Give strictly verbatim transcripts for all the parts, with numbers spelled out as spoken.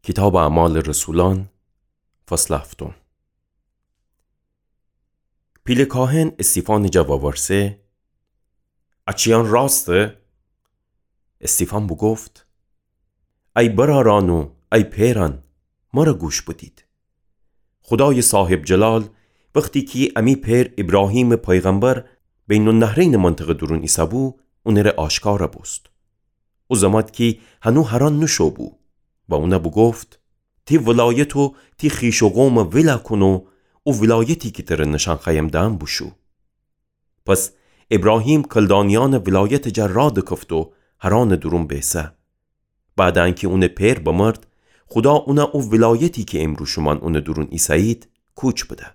کیتابٚ اعمالٚ رسولأن، فصلٚ هفتم. پیله کاهن استیفانٚ جا وورسه: ا چیأن راسته؟ استیفان بوگفت: ای برأرأن و ای پئرأن، مرَ گوش بدید. خودایٚ صاحب‌جلال وختی کی امی پئر ایبراهیمٚ پیغمبر بین‌النهرینٚ منطقه دورون ایسه‌بو، اونٚره آشکارَ بوست. او زمات کی هنو هرأن نوشو بو و اونَ بوگفت: تی ولایت و تی خویش و قومَ ولَ کون و او ولایتی کی تره نشأن خوأیم دأن بوشو. پس ایبراهیم کلدانیأنٚ ولایتٚ جا راه دکفت و هرأنٚ دورون بیسه. بعدٚ انکی اونٚ پئر بمرد، خودا اونَ او ولایتی کی امرو شومأن اونٚ دورون ایسه‌یید، کوچ بده.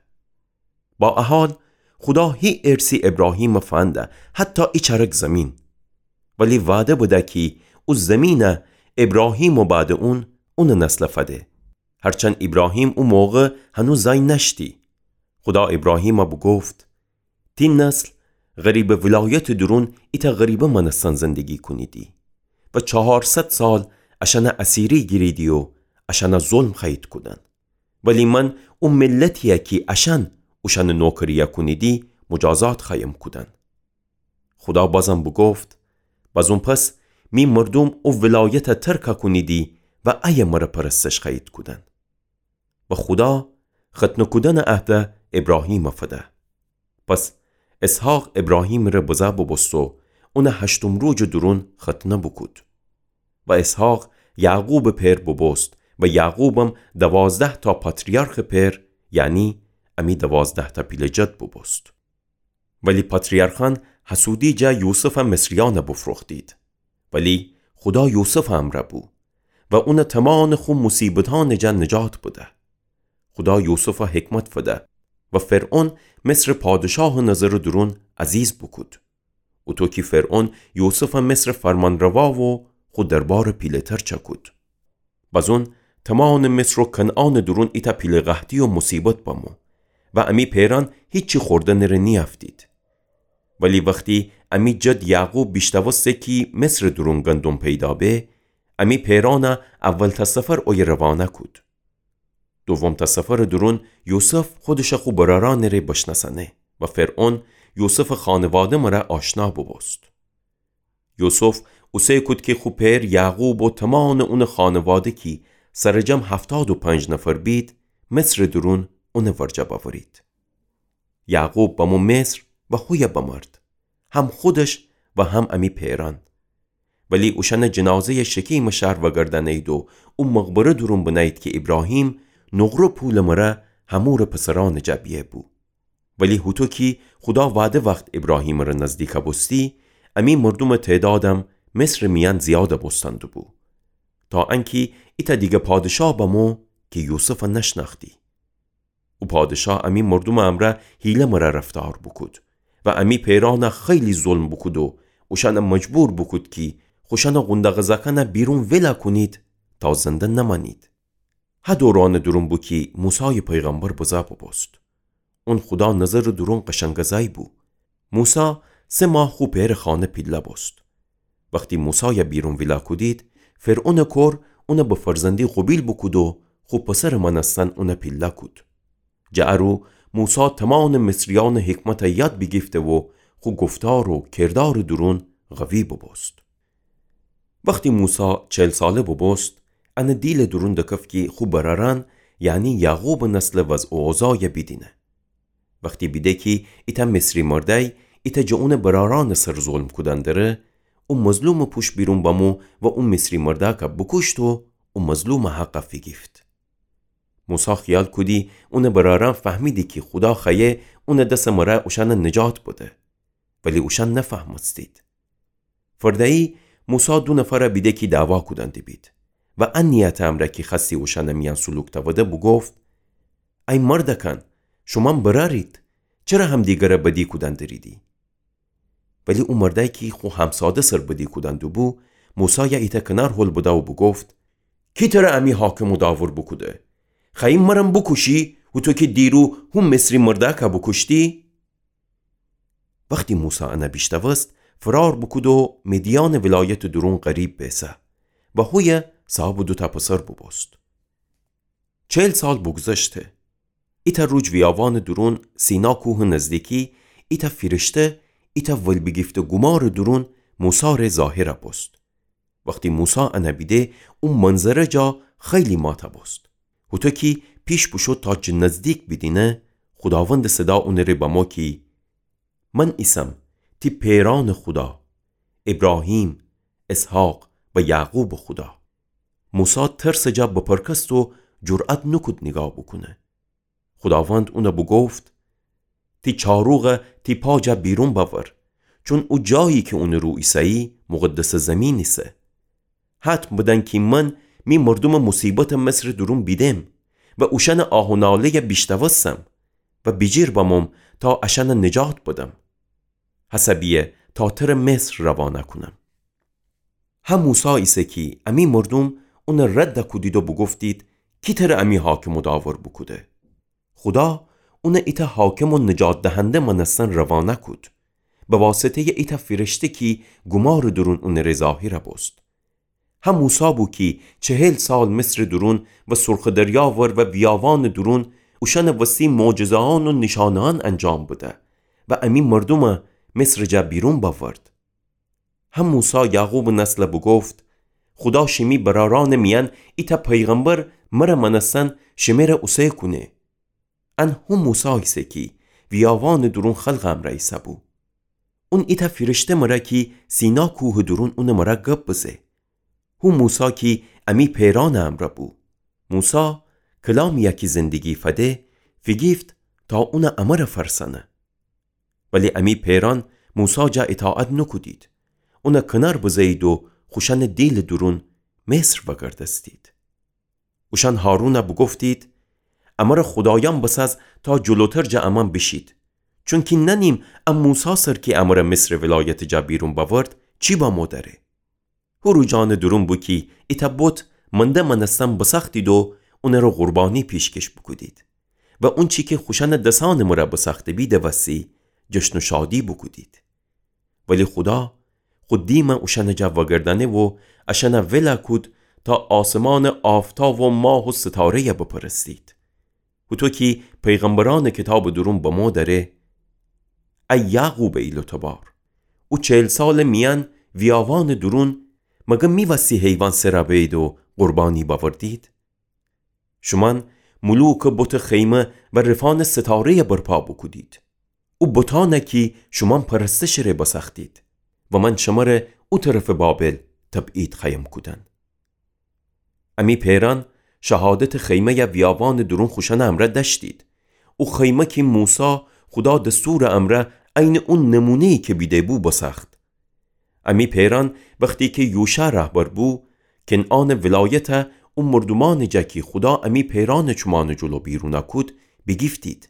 با ا حال، خودا هی ارثی ایبراهیمَ فنده، حتی ای چرک زمین. ولی وعده بده کی او زمینَ ایبراهیم و بعدٚ اون، اونٚ نسلَ فده. هرچند ایبراهیم او موقع هنو زأی نأشتی. خودا ایبراهیمَ بوگفت: تی نسل غریبٚ ولایتٚ دورون ایتأ غریبٚ مأنستن زندگی کونیدی و چهارصد سال اشأنَ اسیری گیریدی و اشأنَ ظلم خوأیید کودن. ولی من او ملتی‌یَ کی اشأن اوشأنٚ نوکری‌یَ کونیدی، مجازات خوأیم کودن. خودا بازم بوگفت: بزون پس می مردوم او ولایتَ ترکَ کونیدی و ایه مرَ پرستش خوأیید کودن. و خودا ختنه کودنٚ عهدَ ایبراهیمَ فده. پس اسحاق ایبراهیمٚ ره بزه بوبوست و اونَ هشتم روجٚ دورون ختنه بوکود. و اسحاق یعقوبٚ پئر بوبوست و یعقوبم دوازده‌تأ پاتریارخٚ پئر، یعنی امی دوازده‌تأ پیله جد بوبوست. ولی پاتریارخأن حسودی جا یوسفَ مصریأنَ بوفروختید. ولی خودا یوسفٚ امرأ بو و اونَ تومانٚ خو موصیبتأنٚ جا نجات بده. خودا یوسفَ حکمت فده و فرعون مصرٚ پادشاهٚ نظرٚ دورون عزیز بوکود. اوطو کی فرعون یوسفَ مصرٚ فرمانروا و خو دربارٚ پیله‌تر چأکود. بزون تومانٚ مصر و کنعانٚ دورون ایتأ پیله قحطی و موصیبت بمو و امی پئرأن هیچی خوردنٚ ره نیأفتید. ولی وختی امی جد یعقوب بیشنوسته کی مصرٚ دورون گندم پیدا به، امی پئرأنَ اولتأ سفر اویه روانه کود. دومتأ سفرٚ دورون یوسف خودشَ خو برأرأنٚ ره بشنأسأنه و فرعون یوسفٚ خانواده مره آشنا بوبوست. یوسف اوسه کود کی خو پئر یعقوب و تومانٚ اونٚ خانواده کی سرجم هفتاد و پنج نفر بید، مصرٚ دورون اونٚ ورجه بأورید. یعقوب بمو مصر و هویه بمرد، هم خودش و هم امی پئرأن. ولی اوشأنٚ جنازه‌یَ شکیمٚ شهر وأگردأنه‌یید و او مقبره دورون بنه‌یید کی ایبراهیم نقره پولٚ مره حمورٚ پسرأنٚ جا بیه بو. ولی هوطو کی خودا وعده وخت ایبراهیمٚ ره نزدیک بوستی، امی مردومٚ تعدادم مصرٚ میأن زیاد بوستن دوبو، تا انکی ایتأ دیگه پادشاه بمو کی یوسفَ نشنأختی. او پادشاه امی مردومٚ امرأ حیله مره رفتار بوکود و امی پئرأنَ خیلی ظلم بوکود و اوشأنَ مجبور بوکود کی خوشأنٚ قونداقٚ زأکأنَ بیرون ولَ کونید تا زنده نمأنید. ها دورانٚ دورون بو کی موسایٚ پیغمبر بزه بوبوست. اون خودا نظرٚ دورون قشنگٚ زأی بو. موسی سه ماه خو پئرٚ خانه پیله بوست. وختی موسایَ بیرون ویلا کودید، فرعونٚ کور اونَ به فرزندی قوبیل بوکود و خو پسرٚ مأنستن اونَ پیله کود. جٚه ا رو موسی تومانٚ مصریأنٚ حکمتَ یاد بیگیفته و خو گفتار و کردارٚ دورون قوی بوبوست. وختی موسی چل ساله بوبوست، انٚ دیلٚ دورون دکفت کی خو برأرأن، یعنی یعقوبٚ نسلٚ وضع و اوضاعَ بیدینه. وختی بیده کی ایتأ مصری مردأی ایتأ جٚه اونٚ برأرأنٚ سر ظلم کودن دره، او مظلومٚ پوش بیرون بمو و او مصری مردأکَ بوکوشت و او مظلومٚ حقَ فیگیفت. موسی خیال کودی اونٚ برأرأن فهمیدی کی خودا خوأیه اونٚ دسٚ مره اوشأنَ نجات بده، ولی اوشأن نفهمستید. فردأیی موسی دو نفرَ بیده کی دعوا کودن دیبید و ا نیتٚ امرأ کی خوأستی اوشأنٚ میأن سلوک تأوده بوگفت: ای مردأکأن، شومأن برأرید، چره همدیگرَ بدی کودن دریدی؟ ولی او مردأی کی خو همساده سر بدی کودن دوبو، موسایَ ایتأ کنار هل بده و بوگفت: کی تره امی حاکم و داور بوکوده؟ خوأیی مرم بوکوشی، هوطو کی دیرو هو مصری مردأکَ بوکوشتی؟ وختی موسی انَ بیشنوست، فرار بوکود و مدیانٚ ولایتٚ دورون غریب بیسه و هویه صاحبٚ دوتأ پسر بوبوست. چهل سال بوگذشته. ایتأ روج ویاوانٚ دورون سینا کوهٚ نزدیکی ایتأ فیرشته ایتأ ولبیگیفته گومارٚ دورون موسی ره ظاهر بوست. وختی موسی انه بیده، او منظره جا خیلی ماته بوست. هوطو کی پیش بوشو تا جٚه نزدیک بیدینه، خوداوندٚ صدا اونٚ ره بمو کی من ایسم تی پئرأنٚ خودا، ایبراهیم، اسحاق و یعقوبٚ خودا. موسی ترسٚ جا بپرکست و جرأت نوکود نیگاه بوکونه. خوداوند اونه بوگفت: تی چاروغه تی پا جا بیرون بأور، چون او جایی کی اونٚ رو ایسه‌یی مقدسٚ زیمین ایسه. حتم بدن کی من می مردومٚ موصیبتٚ مصرٚ دورون بیدم و اوشأنٚ آه و ناله‌یه بیشتوستم و بیجیر بموم تا اشأنه نجات بدم. هسه بیه تا تره مصر روانه کونم. هه موسی ایسه کی امی مردوم اونه رد کودید و بوگفتید: کی تره امی حاکم و داور بوکوده؟ خودا اونه ایتأ حاکم و نجات دهنده مأنستن روانه کود، به واسطه‌یٚ ایتأ فیرشته کی گومارٚ دورون اونٚ ره ظاهر بوست. هه موسی بو کی چهل سال مصرٚ دورون و سرخٚ دریا ور و ویاوانٚ دورون اوشأنٚ وستی معجزه‌یأن و نیشانه‌یأن انجام بده و امی مردومه مصرٚ جا بیرون بأورد. هه موسی یعقوبٚ نسله بوگفت: خودا شیمی برأرأنٚ میأن ایتأ پیغمبر مره مأنستن شمره اوسه کونه. ان هو موسی ایسه کی ویاوانٚ دورون خلقٚ امرأ ایسه‌بو. اون ایتأ فیرشته مره کی سینا کوهٚ دورون اونٚ مره گب بزه. هو موسی کی امی پئرأنٚ امرأ بو. موسی کلامی‌یه کی زندگی فده فیگیفت تا اونه امره فرسأنه. ولی امی پئرأن موسی جا ایطاعت نوکودید. اونه کنار بزه‌یید و خوشأنٚ دیلٚ دورون مصر وأگردستید. اوشأن هارونه بوگفتید: امره خودایأن بسأز تا جلوتر جٚه امأن بیشید. چونکی نأنیم ا موسی سر کی امره مصرٚ ولایتٚ جا بیرون بأورد چی بمو دأره. هو روجأنٚ دورون بو کی ایتأ بت منده مأنستن بسأختید و اونٚ ره قربانی پیشکش بوکودید و اونچی کی خوشأنٚ دسأنٚ مره بسأخته‌بید وسی جشن و شادی بوکودید. ولی خودا خو دیمه اوشأنٚ جا وأگردأنه و اشأنه ول کود تا آسمانٚ آفتاب و ماه و ستاره‌یه بپرستید. هوطو کی پیغمبرأنٚ کیتابٚ دورون بمو دأره: ای یعقوبٚ ایل و تبار، او چهل سالٚ میأن ویاوانٚ دورون مگر می وسی حیوان سر بأیید و قربانی بأوردید؟ شومأن ملوکٚ بتٚ خیمه و رفأنٚ ستاره‌یه برپا بوکودید. او بتأنه کی شومأن پرستشٚ ره بسأختید و من شمره او طرفٚ بابل تبعید خوأیم کودن. امی پئرأن شهادتٚ خیمه‌یه ویاوانٚ دورون خوشأنٚ امرأ دأشتید. او خیمه کی موسی خودا دستورٚ امرأ عینٚ او نمونه‌یی کی بیده‌بو بسأخت. امی پئرأن وختی کی یوشع رهبر بو، کنعانٚ ولایته او مردومأنٚ جا کی خودا امی پئرأنٚ چومأنٚ جلو بیرونه کود، بیگیفتید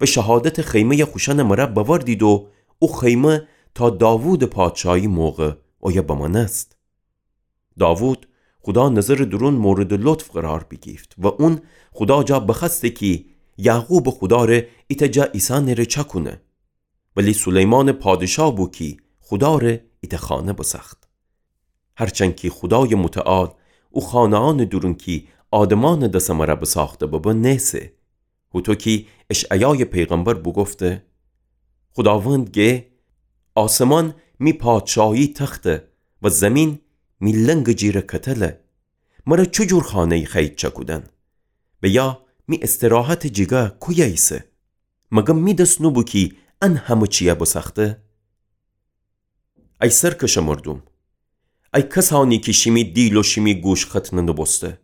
و شهادتٚ خیمه‌یه خوشأنٚ مره بأوردید و او خیمه تا داوودٚ پادشاهی موقع اویه بمأنست. داوود خودا نظرٚ دورون موردٚ لطف قرار بیگیفت و اون خودا جا بخوأسته کی یعقوبٚ خودا ره ایتأ جا ایسأنٚ ره چأکونه. ولی سلیمانٚ پادشاه بو کی خودا ره ایتأ خانه بسأخت. هرچند کی خودایٚ متعال او خانه‌یأنٚ دورون کی آدمأنٚ دسٚ مره بسأخته ببه نیسه. هوطو کی اشعیایٚ پیغمبر بوگفته: خوداوند گه: آسمان می پادشاهی تخته و زیمین می لنگٚ جیرٚ کتله. مره چوجور خانه‌یی خوأیید چأکودن؟ و یا می استراحتٚ جیگا کویه ایسه؟ مگر می دس نوبو کی ان همه چیه بسأخته؟ ای سرکشٚ مردوم، ای کسأنی کی شیمی دیل و شیمی گوش ختنه نوبوسته،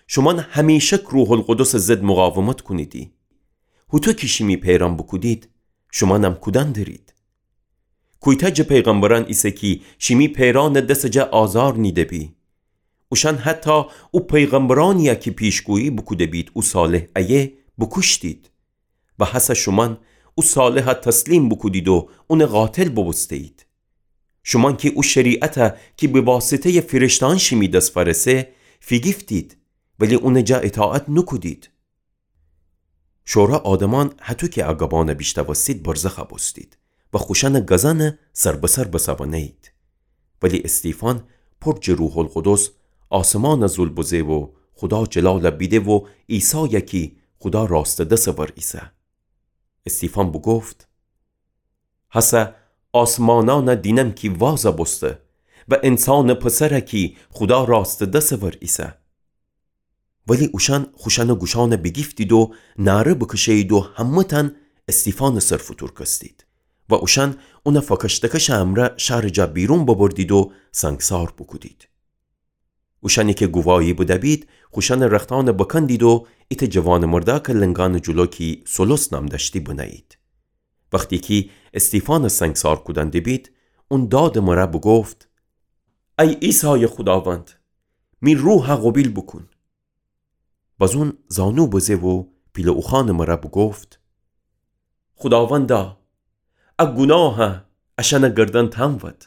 شومأن همیشک روح‌القدسٚ ضد مقاومت کونیدی. هوطو کی شیمی پئرأن بوکودید، شومأنم کودن درید. کویتأ جٚه پیغمبرأن ایسه کی شیمی پئرأنٚ دسٚ جا آزار نیده‌بی؟ اوشأن حتی او پیغمبرأنی‌یه کی پیشگویی بوکوده‌بید او صالح ایه، بوکوشتید. و هسه شومأن او صالحه تسلیم بوکودید و اونٚ قاتل بوبوسته‌یید. شومأن کی او شریعته کی به واسطه‌یٚ فیرشته‌یأن شیمی دس فأرسه، فیگیفتید، ولی اونٚ جا ایطاعت نوکودید. شورا آدمأن هطو کی ا گبأنه بیشتوستید برزخ بوستید و خوشأنٚ گزأنه سر به سر بسوأنه‌یید. ولی استیفان پر جٚه روح‌القدس آسمانه زول بزه و خودا جلال بیده و عیسای کی خودا راستٚ دسٚ ور ایسه. استیفان بوگفت: هسه آسمانأن دینم کی واز بوسته و انسانٚ پسر کی خودا راستٚ دسٚ ور ایسه. ولی اوشأن خوشأنٚ گوشأن بیگیفتید و نعره بکشه‌یید و همه‌تأن استیفانٚ سر فوتورکستید و اوشأن اون فکشتکشٚ امرأ شأرٚ جا بیرون ببردید و سنگسار بوکودید. اوشأنی کی گواهی بده‌بید، خوشأنٚ رختأن بکندید و ایتأ جوانٚ مردأکٚ لنگأنٚ جلو کی سولس نام دأشتی بنه‌یید. وختی کی استیفانٚ سنگسار کودن دبید، اون دادٚ مره بوگفت: ای عیسایٚ خوداوند، می روحَ قوبیل بوکون. بزون زانو بزه و پیله اوخوأنٚ مره بوگفت: خوداوندا، ا گوناهَ اشأنٚ گردن تأن ود.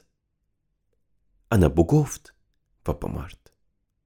انَ بوگفت و بمرد.